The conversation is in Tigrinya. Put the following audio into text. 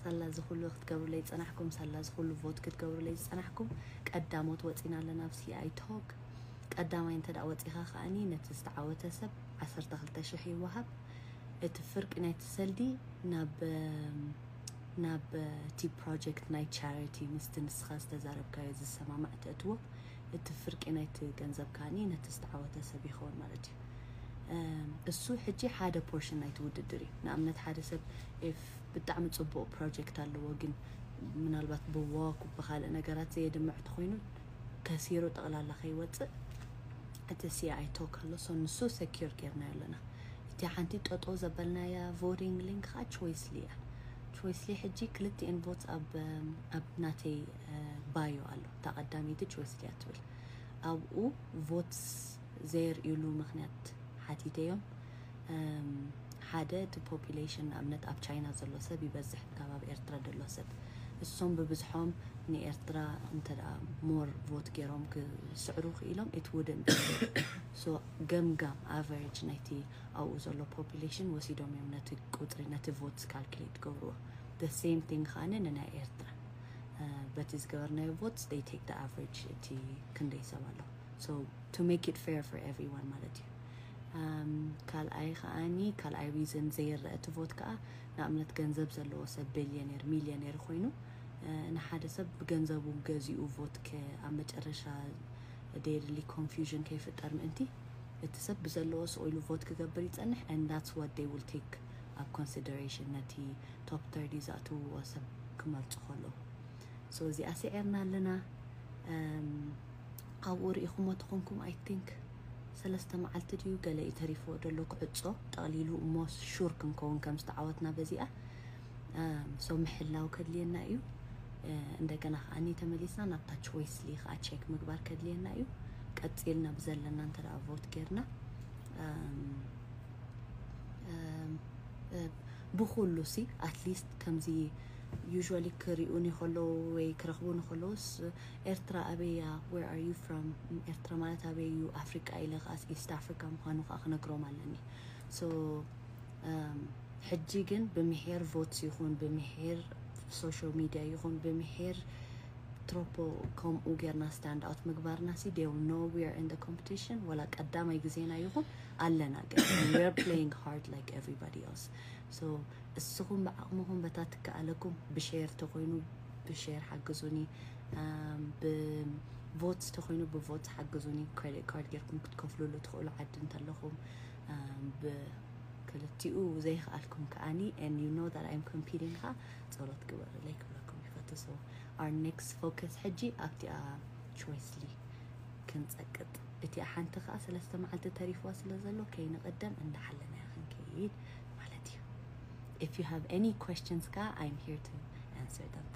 ሳላ እዚ ኩሉ ክትገብሩለይ ዝጸናሕኩም፣ ሳላ እዚ ኩሉ ቮት ክትገብሩለይ ዝጸናሕኩም፣ ቀዳሞት ወጺና ኣለና ኣብ C I Talk። ቀዳማይ እንተ ደኣ ወጺኻ ከኣኒ ነቲ ዝተዓወተ ሰብ ዓሰርተ ክልተ ሽሕ ይወሃብ። እቲ ፍርቂ ናይቲ ሰልዲ ናብ ናብ እቲ ፕሮጀክት ናይ ቻሪቲ ምስቲ ንስኻ ዝተዛረብካዮ ዝሰማማዕ ተእትዎ። እቲ ፍርቂ ናይቲ ገንዘብ ከኣኒ ነቲ ዝተዓወተ ሰብ ይኸውን ማለት እዩ። እሱ ሕጂ ሓደ ፖርሽን ናይቲ ውድድር እዩ። ንኣብነት ሓደ ሰብ if ብጣዕሚ ጽቡቕ ፕሮጀክት ኣለዎ ግን ምናልባት ብዋክ ብካልእ ነገራት ዘየድምዕ ተኮይኑ ከሲሩ ጠቕላላ ከይወፅእ እቲ C I Talk ኣሎ። So ንሱ ሰኪር ጌርናዮ ኣለና። እቲ ሓንቲ ጠጦ ዘበልናያ ቮቲንግ ሊንክ ከዓ ቾይስሊ እያ። ቾይስሊ ሕጂ ክልቲኤን ቮትስ ኣብ ኣብ ናተይ ባዮ ኣሎ። እታ ቀዳመይቲ ቾይስሊ እያ ትብል። ኣብኡ ቮትስ ዘየርእዩሉ ምክንያት ሓቲተዮም። ሓደ እቲ ፖፑሌሽን ንኣብነት ኣብ ቻይና ዘሎ ሰብ ይበዝሕ ካብ ኣብ ኤርትራ ዘሎ ሰብ። እሶም ብብዝሖም ንኤርትራ እንተ ደኣ ሞር ቮት ገይሮም ክስዕሩ ክኢሎም it wouldn't so ገምጋም ኣቨሬጅ ናይቲ ኣብኡ ዘሎ ፖፑሌሽን ወሲዶም እዮም ነቲ ቁፅሪ ነቲ ቮትስ ካልኩሌት ገብርዎ። The same thing ከኣነ ንናይ ኤርትራ በቲ ዝገበርናዮ ቮትስ they take the average እቲ ክንደይ ሰብ ኣሎ። So to make it fair for everyone ማለት እዩ። ካልኣይ ከኣኒ ካልኣይ ሪዝን ዘይረአ እቲ ቮት ከዓ ንኣብነት ገንዘብ ዘለዎ ሰብ ቢልዮኔር ሚልዮኔር ኮይኑ ንሓደ ሰብ ብገንዘቡ ገዚኡ ቮት ኣብ መጨረሻ ደየድሊ ኮንፊውዥን ከይፍጠር ምእንቲ እቲ ሰብ ብዘለዎ ስቕ ኢሉ ቮት ክገብር ይፀንሕ and that's what they will take ኣብ ኮንሲደሬሽን ነቲ ቶፕ ተርዲ ዝኣትውዎ ሰብ ክመርፁ ከለዉ። So እዚኣ ስዒርና ኣለና። ኣብኡ ርኢኹሞ ተኾንኩም I think ሰለስተ መዓልቲ ድዩ ገለ እዩ ተሪፍዎ ደሎ ክዕጾ ጠቕሊሉ እሞ ሹር ክንከውን ከም ዝተዓወትና በዚኣ። So ምሕላው ከድልየና እዩ። እንደገና ከዓኒ ተመሊስና ናብታ ቾይስሊ ከዓ ቼክ ምግባር ከድልየና እዩ። ቀፂልና ብዘለና እንተ ደኣ ቮት ጌርና ብኩሉ ሲ ኣትሊስት ከምዚ ዩዥዋሊ ክሪኡኒ ከለዉ ወይ ክረኽቡኒ ከለዉስ ኤርትራ ኣበያ where are you from ኤርትራ ማለት ኣበይ እዩ ኣፍሪቃ ኢለ ከኣስ ኢስት ኣፍሪካ ምዃኑ ከዓ ክነግሮም ኣለኒ። So ሕጂ ግን ብምሄር ቮትስ ይኹን ብምሄር ሶሻል ሚድያ ይኹን ብምሄር ትሮፖ ከምኡ ጌርና ስታንድ ኣውት ምግባርና ሲ they know we are in the competition ወላ ቀዳማይ ግዜና ይኹን ኣለና ግን we're playing hard like everybody else. So እስኹም ብዓቕምኹም በታ ትከኣለኩም ብሼር ተኮይኑ ብሼር ሓግዙኒ፣ ብቮትስ ተኮይኑ ብቮትስ ሓግዙኒ። ክሬዲት ካርድ ጌርኩም ክትከፍሉሉ ትኽእሉ ዓዲ እንተለኹም ክልቲኡ ዘይከኣልኩም ከዓኒ and you know that I'm competing ካ ጸሎት ግበርለይ ክብለኩም ይፈቱ። So our next focus ሕጂ ኣብቲኣ ቾይስሊ ክንጸቅጥ እቲኣ ሓንቲ ከዓ ሰለስተ መዓልቲ ተሪፍዋ ስለ ዘሎ ከይንቐደም እንዳሓለናያ ክንከይድ ማለት እዩ። If you have any questions ከዓ I'm here to answer them.